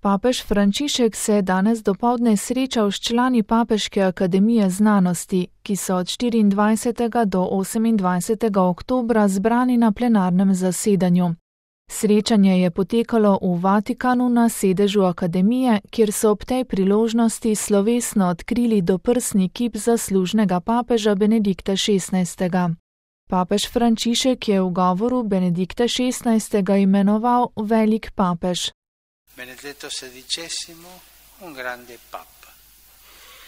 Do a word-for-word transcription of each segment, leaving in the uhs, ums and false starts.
Papež Frančišek se je danes dopoldne srečal s člani Papeške akademije znanosti, ki so od štiriindvajsetega do osemindvajsetega oktobra zbrani na plenarnem zasedanju. Srečanje je potekalo v Vatikanu na sedežu akademije, kjer so ob tej priložnosti slovesno odkrili doprsni kip zaslužnega papeža Benedikta šestnajstega. Papež Frančišek je v govoru Benedikta šestnajstega imenoval velik papež. Benedetto sedicesimo, un grande papa.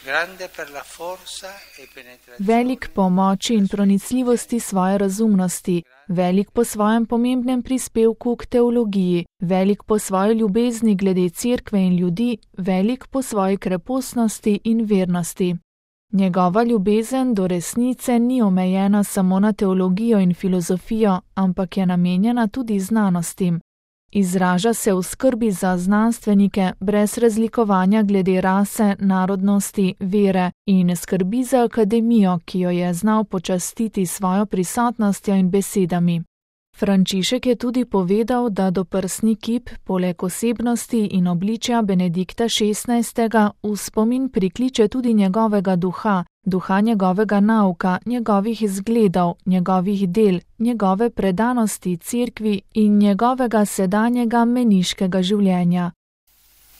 Grande per la forza e penetrazione. Velik po moči in pronicljivosti svoje razumnosti, velik po svojem pomembnem prispevku k teologiji, velik po svoji ljubezni glede cerkve in ljudi, velik po svoji krepostnosti in vernosti. Njegova ljubezen do resnice ni omejena samo na teologijo in filozofijo, ampak je namenjena tudi znanostim. Izraža se v skrbi za znanstvenike brez razlikovanja glede rase, narodnosti, vere in skrbi za akademijo, ki jo je znal počastiti svojo prisotnostjo in besedami. Frančišek je tudi povedal, da doprsni kip poleg osebnosti in obličja Benedikta šestnajstega v spomin prikliče tudi njegovega duha, duha njegovega nauka, njegovih izgledov, njegovih del, njegove predanosti cerkvi in njegovega sedanjega meniškega življenja.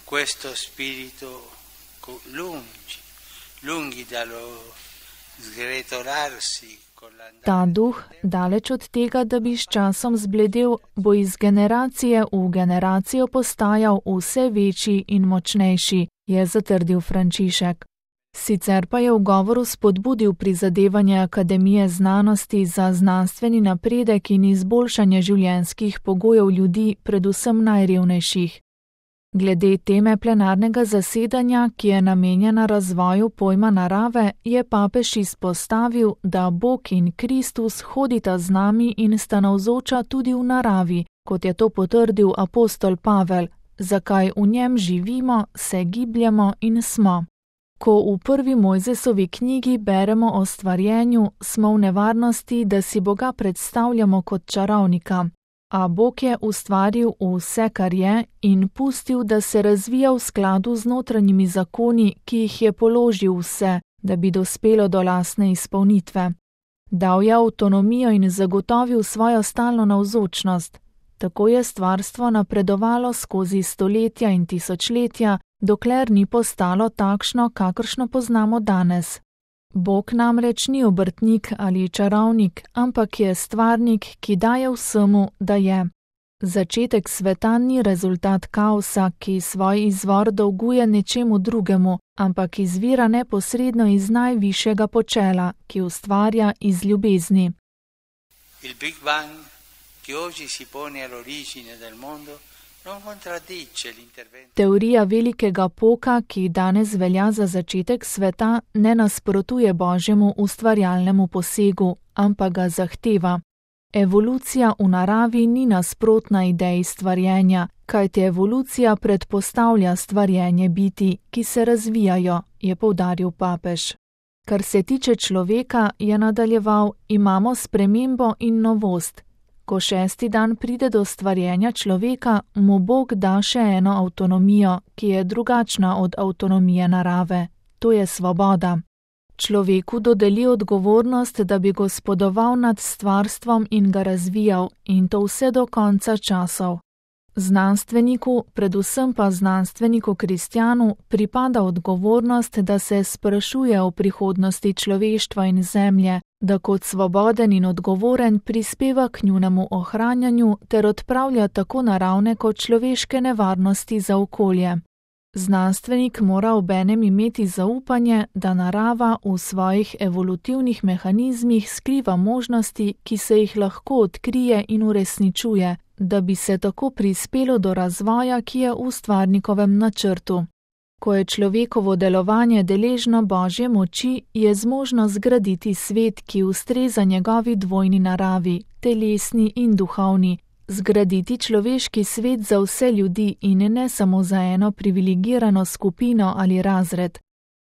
Questo spirito lungi, lungi dallo sgretolarsi. Ta duh, daleč od tega, da bi s časom zbledel, bo iz generacije v generacijo postajal vse večji in močnejši, je zatrdil Frančišek. Sicer pa je v govoru spodbudil prizadevanje Akademije znanosti za znanstveni napredek in izboljšanje življenjskih pogojev ljudi, predvsem najrevnejših. Glede teme plenarnega zasedanja, ki je namenjena razvoju pojma narave, je papež izpostavil, da Bog in Kristus hodita z nami in sta navzoča tudi v naravi, kot je to potrdil apostol Pavel, zakaj v njem živimo, se gibljemo in smo. Ko v prvi Mojzesovi knjigi beremo o stvarjenju, smo v nevarnosti, da si Boga predstavljamo kot čarovnika. A Bog je ustvaril vse, kar je, in pustil, da se razvija v skladu z notranjimi zakoni, ki jih je položil vse, da bi dospelo do lastne izpolnitve. Dal je avtonomijo in zagotovil svojo stalno navzočnost. Tako je stvarstvo napredovalo skozi stoletja in tisočletja, dokler ni postalo takšno, kakršno poznamo danes. Bog namreč ni obrtnik ali čarovnik, ampak je stvarnik, ki daje vsemu, da je. Začetek sveta ni rezultat kaosa, ki svoj izvor dolguje nečemu drugemu, ampak izvira neposredno iz najvišjega počela, ki ustvarja iz ljubezni. Il Big Bang, ki oggi si pone all'origine del mondo, Teorija velikega poka, ki danes velja za začetek sveta, ne nasprotuje Božjemu ustvarjalnemu posegu, ampak ga zahteva. Evolucija v naravi ni nasprotna ideji stvarjenja, kajti evolucija predpostavlja stvarjenje biti, ki se razvijajo, je poudaril papež. Kar se tiče človeka, je nadaljeval, imamo spremembo in novost. Ko šesti dan pride do stvarjenja človeka, mu Bog da še eno avtonomijo, ki je drugačna od avtonomije narave. To je svoboda. Človeku dodeli odgovornost, da bi gospodoval nad stvarstvom in ga razvijal, in to vse do konca časov. Znanstveniku, predvsem pa znanstveniku kristjanu, pripada odgovornost, da se sprašuje o prihodnosti človeštva in zemlje, da kot svoboden in odgovoren prispeva k njunemu ohranjanju ter odpravlja tako naravne kot človeške nevarnosti za okolje. Znanstvenik mora obenem imeti zaupanje, da narava v svojih evolutivnih mehanizmih skriva možnosti, ki se jih lahko odkrije in uresničuje, da bi se tako prispelo do razvoja, ki je v stvarnikovem načrtu. Ko je človekovo delovanje deležno Božje moči, je zmožno zgraditi svet, ki ustreza njegovi dvojni naravi, telesni in duhovni, zgraditi človeški svet za vse ljudi in ne samo za eno privilegirano skupino ali razred.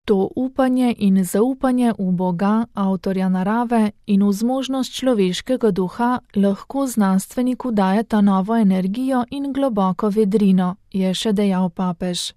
To upanje in zaupanje v Boga, avtorja narave, in v zmožnost človeškega duha lahko znanstveniku dajeta novo energijo in globoko vedrino, je še dejal papež.